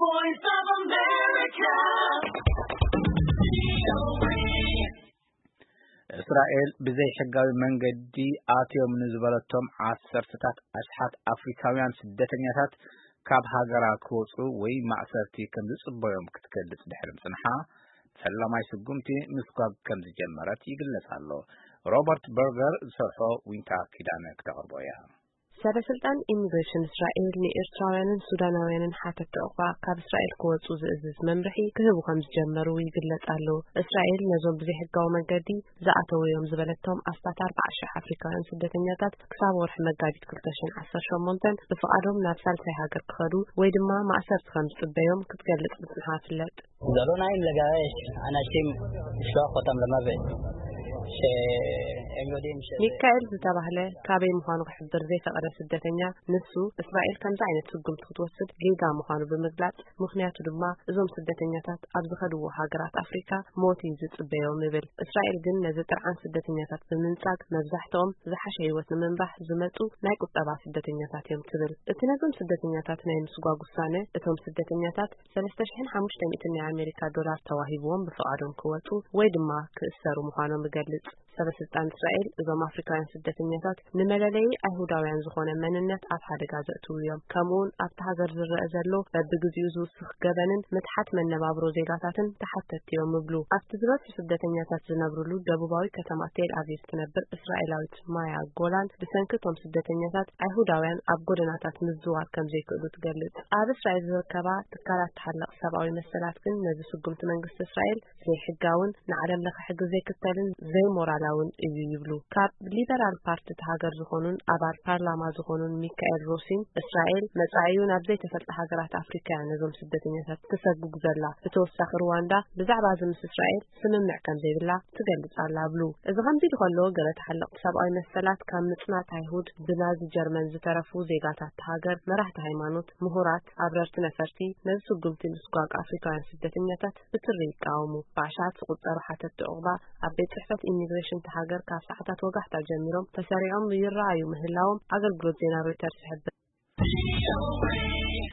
Voice of America. እስራኤል ብዘይሕጋዊ መንገዲ ኣትዮም ንዝበለቶም ዓሰርተታት ኣሽሓት ኣፍሪካውያን ስደተኛታት ካብ ሃገራ ክወፁ ወይ ማእሰርቲ ከም ዝፅበዮም ክትገልጽ ድሕሪ ምጽንሓ፣ ፈላማይ ስጉምቲ ምስጓግ ከም ዝጀመረት ይግለጽ ኣሎ። ሮበርት በርገር ዝሰርሖ ዊንታ ኪዳነ ክተቕርቦ እያ። ሰበ ስልጣን ኢሚግሬሽን እስራኤል ንኤርትራውያንን ሱዳናውያንን ሓተቲ ዑቕባ ካብ እስራኤል ክወጹ ዝእዝዝ መምርሒ ክህቡ ከም ዝጀመሩ ይግለጽ ኣሎ። እስራኤል ነዞም ብዘይሕጋዊ መገዲ ዝኣተዉ እዮም ዝበለቶም ኣስታት ኣርባዓ ሽሕ ኣፍሪካውያን ስደተኛታት ክሳብ ወርሒ መጋቢት ክልተ ሽሕን ዓሰርተ ሸሞንተን ብፍቓዶም ናብ ሳልሳይ ሃገር ክኸዱ ወይ ድማ ማእሰርቲ ከም ዝጽበዮም ክትገልጽ ምጽንሓ ፍለጥ። ዘሎ ናይ ለጋሽ ኣናሽም ሸኾቶም ለመበ ሚካኤል ዝተባህለ ካበይ ምዃኑ ክሕብር ዘይፈቐደ ስደተኛ፣ ንሱ እስራኤል ከምዚ ዓይነት ስጉምቲ ክትወስድ ጌጋ ምዃኑ ብምግላጽ፣ ምኽንያቱ ድማ እዞም ስደተኛታት ኣብ ዝኸድዎ ሃገራት ኣፍሪካ ሞት እዩ ዝጽበዮም ይብል። እስራኤል ግን ነዚ ጥርዓን ስደተኛታት ብምንጻግ፣ መብዛሕትኦም ዝሓሸ ህይወት ንምንባሕ ዝመጹ ናይ ቁጠባ ስደተኛታት እዮም ትብል። እቲ ነዞም ስደተኛታት ናይ ምስጓግ ውሳነ፣ እቶም ስደተኛታት ሰለስተ ሽሕን ሓሙሽተ ሚእትን ናይ ኣሜሪካ ዶላር ተዋሂብዎም ብፍቓዶም ክወጹ ወይ ድማ ክእሰሩ ምዃኖም ይገልጽ። ሰበ ስልጣን እስራኤል እዞም ኣፍሪካውያን ስደተኛታት ንመለለዪ ኣይሁዳውያን ዝኾነ መንነት ኣብ ሓደጋ ዘእትዉ እዮም። ከምኡውን ኣብቲ ሃገር ዝረአ ዘሎ በብግዚኡ ዝውስኽ ገበንን ምትሓት መነባብሮ ዜጋታትን ተሓተቲ እዮም ይብሉ። ኣብቲ ዝበዝሑ ስደተኛታት ዝነብርሉ ደቡባዊ ከተማ ቴል ኣቪቭ ትነብር እስራኤላዊት ማያ ጎላን፣ ብሰንኪ እቶም ስደተኛታት ኣይሁዳውያን ኣብ ጎደናታት ምዝዋር ከም ዘይክእሉ ትገልጽ። ኣብ እስራኤል ዝርከባ ትካላት ተሓለቕ ሰብኣዊ መሰላት ግን ነዚ ስጉምቲ መንግስቲ እስራኤል ዘይሕጋውን ንዓለም ለኸ ሕጊ ዘይክተልን ዘይሞራላውን እዩ ይብሉ። ካብ ሊበራል ፓርቲ እቲ ሃገር ዝኾኑን ኣባል ፓርላማ ዝኾኑን ሚካኤል ሮሲን፣ እስራኤል መጻኢኡ ናብ ዘይተፈልጠ ሃገራት ኣፍሪካ እያ ነዞም ስደተኛታት ትሰጉግ ዘላ። ብተወሳኺ ሩዋንዳ ብዛዕባ እዚ ምስ እስራኤል ስምምዕ ከም ዘይብላ ትገልጽ ኣላ ብሉ። እዚ ከምዚ ኢሉ ከሎ፣ ገለ ተሓለቕቲ ሰብኣዊ መሰላት ካብ ምጽናት ኣይሁድ ብናዚ ጀርመን ዝተረፉ ዜጋታት ሃገር፣ መራሕቲ ሃይማኖት፣ ምሁራት፣ ኣብረርቲ ነፈርቲ ነዚ ስጉምቲ ምስጓግ ኣፍሪካውያን ስደተኛታት ብትሪ ይቃወሙ። ብኣሽሓት ዝቑጸሩ ሓተቲ ዑቕባ ኣብ ቤት ጽሕፈት ኢሚግሬሽን እቲ ሃገር ካብ ሰዓታት ወጋሕታ ጀሚሮም ተሰሪዖም ይረኣዩ ምህላዎም ኣገልግሎት ዜና ሮይተርስ ይሕብር።